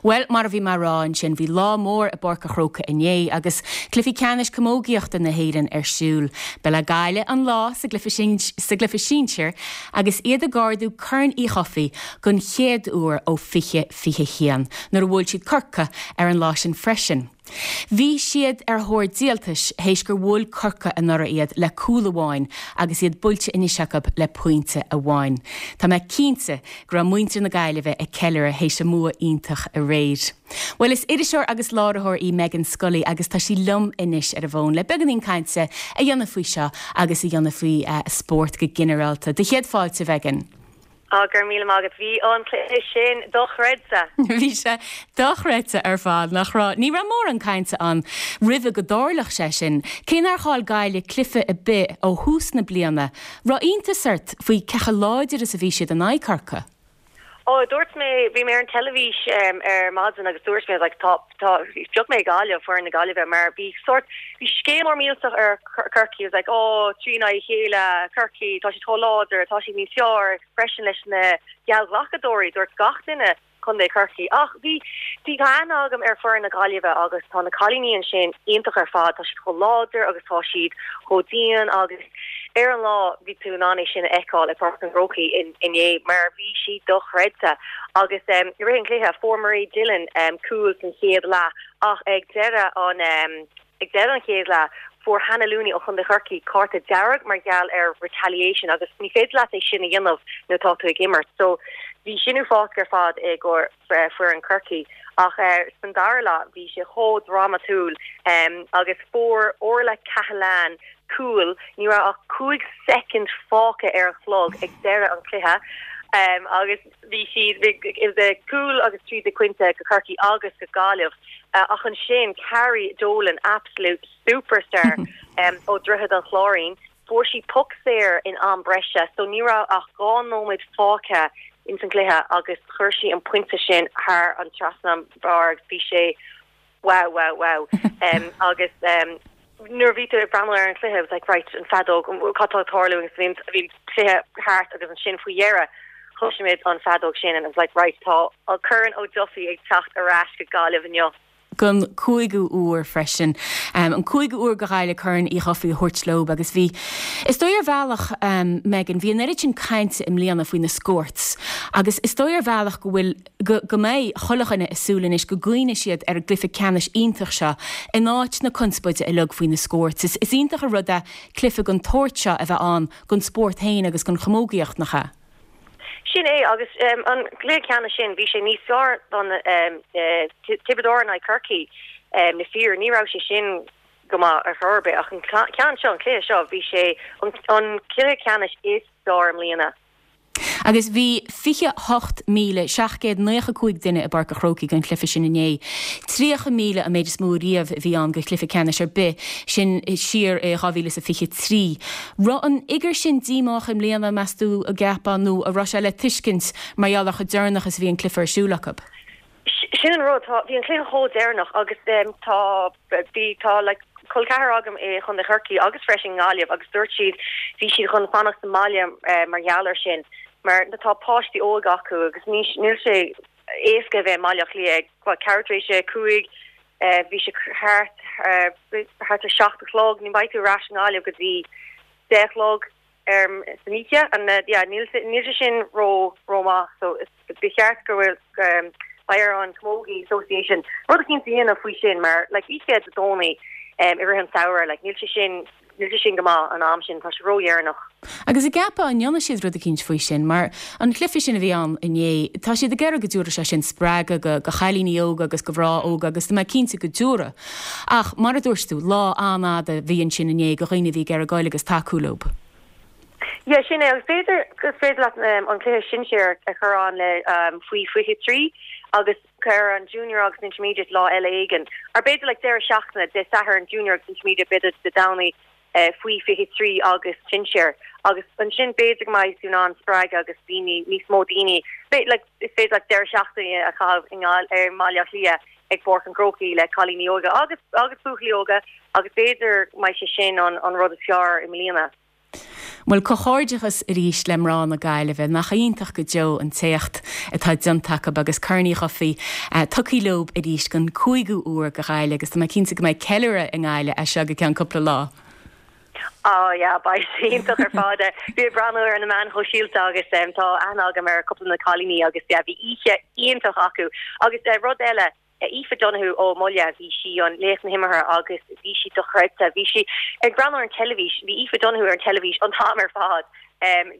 Bhuel, mar a bhí mé a rá ansin, bhí lá mór i bPáirc a' Chrócaigh inné agus Cluichí Ceannais Camógaíochta na hÉireann ar siúl. Ba le Gaillimh an lá sa gcluiche sinsir agus iad ag ardú Corn Uí Chofaigh don chéad uair ó 2021, nuair a bhuail siad Corcaigh ar an lá sin freisin. Bhí siad ar thóir díoltais théis gur bhuail Corcaigh anuraidh iad le cúl amháin agus iad buailte anois acu le pointe amháin. Tá mé cinnte go raibh muintir na Gaillimhe ag ceiliúradh théis a mbua iontach aréir. Bhuel, is iriseoir agus láithreoir í Meghan Scully agus tá sí liom anois ar an bhfón le beagáinín cainte a dhéanamh faoi seo agus a dhéanamh faoi spórt go ginearálta. Do chéad fáilte, a Mhegan. Á, go raibh míle maith agat. Bhí an cluiche sin dochreidte. Bhí sé dochreidte ar fad, nach raibh? Ní raibh mórán cainte ann roimhe go dtarlódh sé sin. Cé nár chaill Gaillimh cluiche ar bith ó thús na bliana, raibh iontas ort faoi cé chomh láidir is a bhí siad in aghaidh Corcaigh? Ó, dúirt mé, bhí mé ar an teilifís ar maidin agus dúirt mé, like, tá, tá, phioc mé Gaillimh, foireann na Gaillimhe, mar bhí sórt, bhí scéal mór millteach ar Corcaigh, it was like, oh, 3 in aghaidh a chéile, Corcaigh, tá siad chomh láidir, tá siad níos fearr, freisin leis na geallghlacadóirí, dúirt gach duine Contae Chorcaí. Ach bhí, bhí aithne agam ar foireann na Gaillimhe agus tá na cailíní ansin iontach ar fad, tá siad chomh láidir agus tá siad chomh dian agus ar an lá bhí tú in ann é sin a fheiceáil i bPáirc an Chrócaigh inné mar bhí siad dochreidte. Agus i rith an chluiche fuair Mairéad Dillon cúl san chéad leath ach ag deireadh an Ag deireadh an chéad leath, fuair Hannah Looney ó Chontae Chorcaí cárta dearg mar gheall ar retaliation agus ní féidir leat é sin a dhéanamh nuair atá tú ag imirt. So, bhí sin uafásach ar fad i gcomhair foireann Chorcaí. Ach san dara leath, bhí sé chomh drámatúil agus fuair Orla Cahalane cúl, ní raibh ach 5 soicind fágtha ar an chlog ag deireadh an chluiche agus Bhí siad, bhí, cúl agus 13 pointe go Corcaigh agus go Gaillimh ach ansin Carrie Dolan, absolute superstar ó Droichead an Chláirín, fuair sí poc saor in am breise so ní raibh ach 2 nóiméad fágtha ins an gcluiche agus chuir sí an pointe sin thar an trasnán agus bhí sé Wow, wow, wow. Agus nuair a bhí tú ag breathnú ar an chluiche, it was like, right, an feadóg, cad tá ag tarlú? Agus bhí an cluiche thart agus ansin faoi dheireadh chloisimid an feadóg sin and it was like, right, tá Corn O'Duffy ag teacht ar ais go Gaillimh inniu. Don cúigiú uair freisin. An cúigiú uair go Ghaillimh Corn Uí Dhufaigh a thabhairt leo agus bhí, is dóigh ar bhealach, Megan, bhí an oiread sin cainte i mbliana faoi na scórts agus is dóigh ar bhealach go bhfuil, go go mbeidh chuile dhuine ag súil anois go gcuimhneoidh siad ar an gcluiche ceannais iontach seo in áit na conspóide uilig faoi na scórts. Is is iontach an rud é cluiche den tsórt seo a bheith ann don spórt féin agus don chamógaíocht, nach ea? Sin é, agus an cluiche ceannais sin, bhí sé níos fearr don Tiobraid Árann in aghaidh Chorcaí, na fir, ní raibh sé sin go maith ar chor ar bith ach an ceann seo, an cluiche seo, bhí sé an cluiche ceannais is fearr i mbliana. Agus bhí 28,795 duine i bPáirc a' Chrócaigh don chluiche sin inné. 30,000 an méid is mó riamh a bhí ann do chluiche ceannais ar bith, sin siar i 2023. Raibh an fhigiúr sin díomách i mbliana, meas tú, an gceapfá, nó an raibh sé le tuiscint mar gheall ar chomh deireanach is a bhí an cluiche ar siúl acu? Sin an rud, tá, bhí an cluiche chomh deireanach agus tá, bhí, tá like col ceathar agam i Chontae Chorcaí agus freisin i nGaillimh agus dúirt siad, bhí siad chun fanacht sa mbaile mar gheall air sin mar tá páistí óga acu agus ní, níl sé éasca a bheith i mBaile Átha Cliath ag, what, ceathrú tar éis a 5, bhí sé thart, thart ar 7 a chlog, ní bheidh tú ar ais i nGaillimh go dtí 10 a chlog. ar san oíche and yeah níl níl sé sin ró ró maith so is ba cheart go bhfuil beidh ar an Camogie Association rud eicínt a dhéanamh faoi sin mar like oíche Dé Domhnaigh i rith an samhradh like níl sé sin níl sé sin go maith an am sin tá sé ró dheireanach. Agus an gceapfá an ndéanfaidh siad rud eicínt faoi sin mar an cluiche sin a bhí ann inné tá siad ag iarraidh go dtabharfaidh sé sin spreagadh go go chailíní óga agus go mhná óga agus tá mé cinnte go dtabharfaidh. Ach, mar a dúirt tú, lá an-fhada a bhí ansin inné go dhaoine a bhí ag iarraidh goil agus tacú leo. Yeah, sin é. Agus b'fhéidir gur féidir leat an cluiche sinsear a chur ann le faoi 23 agus cuir an junior agus intermediate lá eile éigin. Or b'fhéidir like deireadh seachtaine, Dé Sathairn junior agus intermediate, b'fhéidir Dé Domhnaigh faoi 23 agus sinsear. Agus ansin b'fhéidir go mbeidh tú in ann spreagadh agus daoine, níos mó daoine, like is féidir leat deireadh seachtaine a chaitheamh i mBaile Átha Cliath ag Páirc an Chrócaigh le cailíní óga agus agus buachaillí óga agus b'fhéidir go mbeidh sé sin an an rud is fearr i mbliana. Bhuel, comhghairdeachas arís le mná na Gaillimhe. Nach iontach go deo an t-éacht atá déanta acu agus Corn Uí Dhufaigh tugtha leob arís don cúigiú huair go Gaillimh agus tá mé cinnte go mbeidh ceiliúradh i nGaillimh as seo go ceann cúpla lá. Oh yeah, beidh sé iontach ar fad. Bhí mé ag breathnú ar na meáin shóisialta agus tá aithne agam ar cúpla de na cailíní agus yeah, bhí oíche iontach acu. Agus rud eile, Aoife Donoghue ó Mullagh, bhí sí an laoch na himeartha agus bhí sí dochreidte. Bhí sí ag breathnú ar an teilifís, bhí Aoife Donoghue ar an teilifís an t-am ar fad.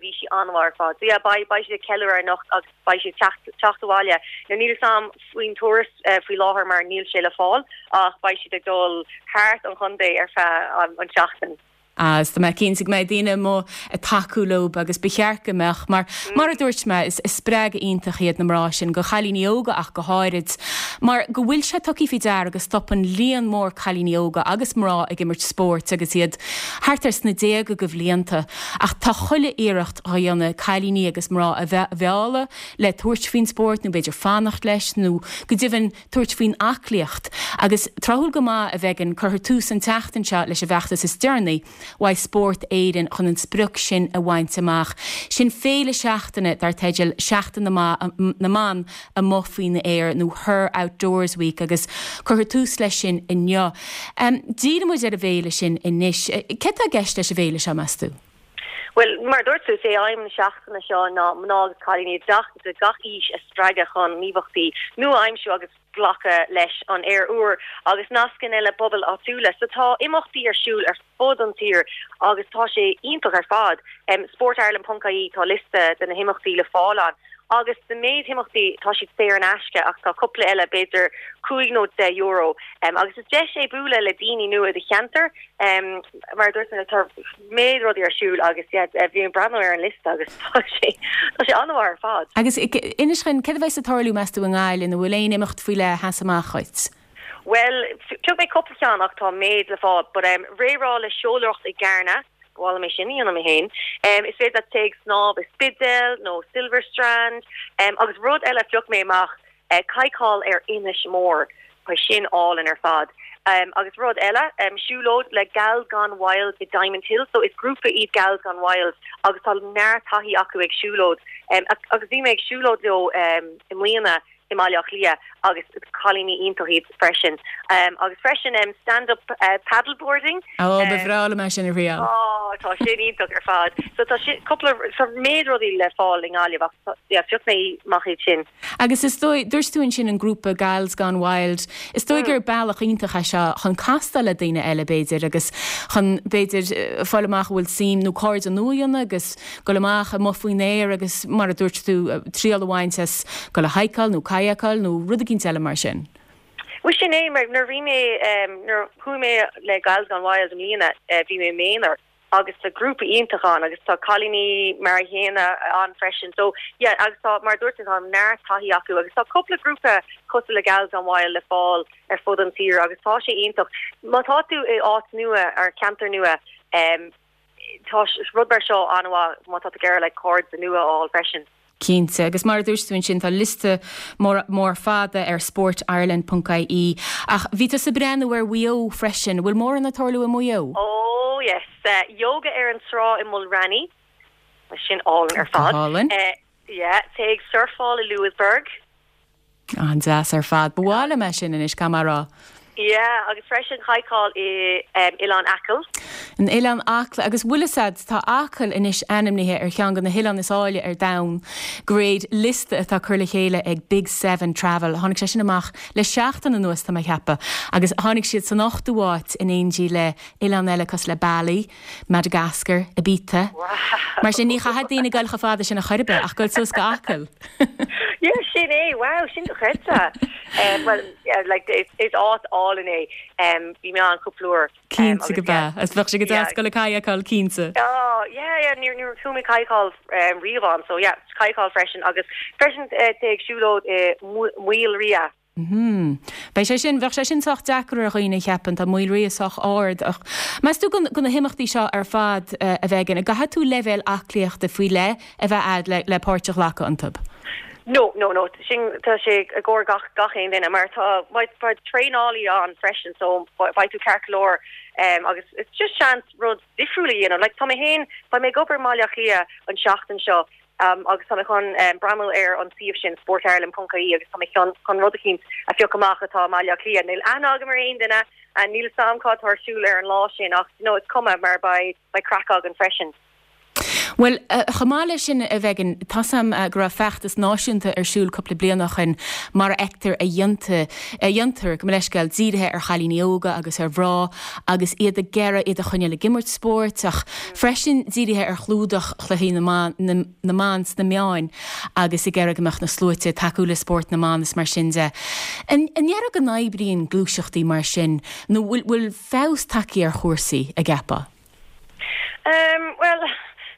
Bhí sí an-mhaith ar fad. So yeah, beidh, beidh siad ag ceiliúradh anocht agus beidh siad teacht, teacht abhaile. Now níl fhios a'm faoin turas faoi láthair mar níl sé le fáil ach beidh siad ag dul thart an chontae ar feadh an tseachtain. Agus tá mé cinnte go mbeidh daoine amuigh ag tacú leob agus ba cheart go mbeadh, mar, mar a dúirt mé, is spreagadh iontach iad na mná sin, go chailíní óga ach go háirid, mar go bhfuil sé tugtha faoi deara go stopann líon mór cailíní óga agus mná ag imirt spóirt agus iad thart ar sna déaga go bhlianta ach tá chuile iarracht dhá dhéanamh cailíní agus mná a mhealladh le tabhairt faoin spórt nó b'fhéidir fanacht leis nó go deimhin tabhairt faoin aclaíocht. Agus tráthúil go maith a Mhegan, cuirfear tús an tseachtain seo leis an bhfeachtas is deireanaí uaidh Spórt Éireann chun an sprioc sin a bhaint amach. Sin féile seachtaine dar teideal Seachtain na mBan Amuigh Faoin Aer nó Her Outdoors Week agus cuirfear tús leis sin inniu. Díreoidh muid ar an bhféile sin anois. Céard tá i gceist leis an bhféile seo, meas tú? Bhuel, mar a dúirt tú, is é aidhm na seachtaine seo ná mná agus cailíní de gach aois a spreagadh chun gníomhaíochtaí nua a aimsiú agus glacadh leis an aer úr agus nascanna le pobail áitiúla. So tá imeachtaí ar siúl ar fud an tír agus tá sé iontach ar fad. Sportireland ponc ie tá liosta de na himeachtaí le fáil ann agus na méid himeachtaí tá siad saor in aisce ach tá cúpla eile b'fhéidir 5 nó 10 euro. Agus is deis é bualadh le daoine nua i do cheantar. Mar a dúirt mé tá méid rudaí ar siúl agus yeah bhí mé ag breathnú ar an liosta agus tá sé tá sé an-mhaith ar fad. Agus inis dúinn, céard a bheas ag tarlú meas tú i nGaillimh nó bhfuil aon imeacht faoi leith a sheas amach dhuit? Bhuel, phioc mé cúpla ceann ach tá méid le fáil but um Réamhrá le Seolaireacht i gCarna, ba mhaith liom é sin a dhéanamh mé féin. Um is féidir leat téigh ag snámh i Spidéal nó Silver Strand um agus rud eile a phioc mé amach Cadhcáil ar Inis Mór, tá sin álainn ar fad. Agus rud eile, siúlóid le Gals Gone Wild i Diamond Hill. So is grúpa iad Gals Gone Wild agus tá neart taithí acu ag siúlóid. Agus bhí mé ag siúlóid leo i mbliana i mBaile Átha Cliath agus cailíní iontach iad freisin. Agus freisin stand up paddle boarding. Ó, ba bhreá liom é sin a thriail. Ó, tá sin iontach ar fad. So tá sin cúpla, tá méid rudaí le fáil i nGaillimh ach yeah, phioc mé amach iad sin. Agus is dóigh, dúirt tú ansin an grúpa Gals Gone Wild, is dóigh gur bealach iontach é seo chun castáil le daoine eile b'fhéidir agus chun b'fhéidir fáil amach an bhfuil suim nó cairde nua a dhéanamh agus dul amach amuigh faoin aer agus mar a dúirt tú triail a bhaint as dul a hidhceáil nó cadhcáil nó rud eicínt eile mar sin. Bhuel sin é, mar nuair a bhí mé, nuair a chuaigh mé le Gals Gone Wild i mbliana bhí mé i m'aonar agus tá grúpa iontach ann agus tá cailíní mar a chéanna ann freisin so yeah agus tá mar a dúirt mé tá neart taithí acu agus tá cúpla grúpa cosúil le Gals Gone Wild le fáil ar fud an tír agus tá sé iontach. Má tá tú i áit nua ar ceantar nua um, tá rud mar seo an-mhaith má tá tú ag iarraidh like cairde nua a fháil freisin. Cinnte, agus mar a dúirt tú ansin, tá liosta mór, mór fada ar sportireland.ie. Ach bhí tusa ag breathnú ar Mhaigh Eo freisin. Bhfuil mórán ag tarlú i Maigh Eo? Oh yes! Yoga ar an trá i Mulranny. Sin álainn ar fad. Go hálainn. Yeah, téigh ag surfáil i Louisburgh. An-deas ar fad. Ba mhaith liom é sin anois, caithfidh mé a rá. Yeah, agus freisin cadhcáil i Oileán Acaill. In Oileán Acla, agus bhfuil fhios a'd, tá Acaill anois ainmnithe ar cheann de na hoileáin is áille ar domhan, de réir liosta atá curtha le chéile ag Big Seven Travel. Tháinig sé sin amach le seachtain anuas, tá mé a cheapadh, agus tháinig siad san ochtú háit in éindí le oileáin eile cosúil le Bali, Madagascar, Ibiza. Mar sin, ní chaithfidh daoine goil chomh fada sin a chor ar bith, ach goil suas go Acaill. Yeah, sin é, wow, sin dochreidte. Well, yeah, like, is, is áit álainn é. Um, bhí mé ann cúpla uair. Um, Cinnte go bea. Is bheadh sé go deas goil ag cadhcáil, cinnte. Oh, yeah, yeah, níor, níor chuaigh mé cadhcáil um, riamh ann, so yeah, cadhcáil freisin, agus freisin uh, téigh ag siúlóid i Maoilriath. Mhm. Beidh sé sin, bheadh sé sin sách deacair ar dhaoine, cheapfainn, tá Maolria sách ard ach meas tú go go na himeachtaí seo ar fad a Mhegan, an gcaithfidh tú leibhéal aclaíochta faoi leith a bheith a'd le le páirt a ghlacadh iontu? No, no, no, sin, tá sé i gcomhair gach, gach aon duine mar tá, beidh traenálaí ann freisin so beidh tú ceart go leor agus it's just seans rud difriúil a dhéanamh. Like tá mé féin, beidh mé ag obair i mBaile Átha Cliath an seachtain seo agus tá mé chun breathnú ar an suíomh sin sportireland.ie agus tá mé chun, chun rud eicínt a phiocadh amach atá i mBaile Átha Cliath. Níl aithne agam ar aon duine, níl 'fhios a'm cad atá ar siúl ar an lá sin ach you know is cuma mar beidh, beidh craic againn freisin. Bhuel, chomh maith leis sin, a Mhegan, tá's a'm go raibh feachtas náisiúnta ar siúl cúpla bliain ó shin, mar a fheictear a dhéanta, a dhéantar, gabh mo leithscéal, dírithe ar chailíní óga agus ar mhná agus iad ag iarraidh iad a choinneáil ag imirt spóirt ach freisin dírithe ar chlúdach chluichí na mban, na mban sna meáin agus ag iarraidh go mbeadh na sluaite ag tacú le spórt na mban is mar sin de. An ndéarfá go n-oibríonn gluaiseachtaí mar sin nó bhfuil, bhfuil feabhas tagtha ar chúrsaí, an gceapfá? Bhuel,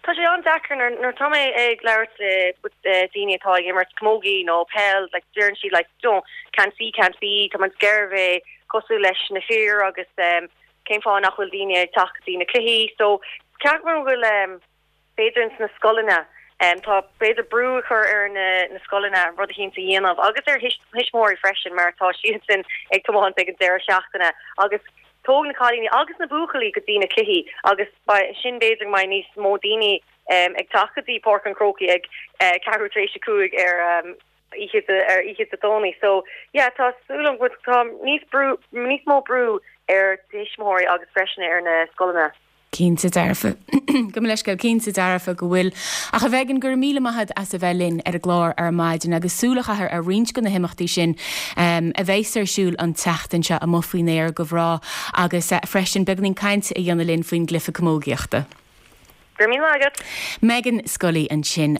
tá sé an-deacair nuair atá mé ag labhairt le daoine atá ag imirt camogie nó peil, like deireann siad like you know can't see, can't be, tá muid ag iarraidh bheith cosúil leis na fir agus cén fáth nach bhfuil daoine ag teacht go dtí na cluichí. So ceapaim go bhfuil b'fhéidir ins na scoileanna, tá b'fhéidir brú a chur ar na scoileanna rud eicínt a dhéanamh agus ar thuismitheoirí freisin mar tá siadsan ag tiomáint ag an deireadh seachtaine agus tóg na cailíní agus na buachaillí go dtí na cluichí agus sin b'fhéidir go mbeidh níos mó daoine ag teacht go dtí Páirc an Chrócaigh ag ceathrú tar éis a 5 ar oíche ar oíche Dé Domhnaigh. So yeah tá súil agam go tá níos brú níos mó brú ar thuismitheoirí agus freisin ar na scoileanna. Cinnte dearfa. Gabh mo leithscéal, cinnte dearfa go bhfuil. Ach a Mhegan, go raibh míle maith agat as a bheith linn ar an gclár ar maidin agus súil a chaitheamh ar roinnt de na himeachtaí sin a bheas ar siúl an tseachtain seo amuigh faoin aer go bhreá agus freisin beagáinín cainte a dhéanamh linn faoin gcluiche camógaíochta. Go raibh míle maith agat. Megan Scully ansin.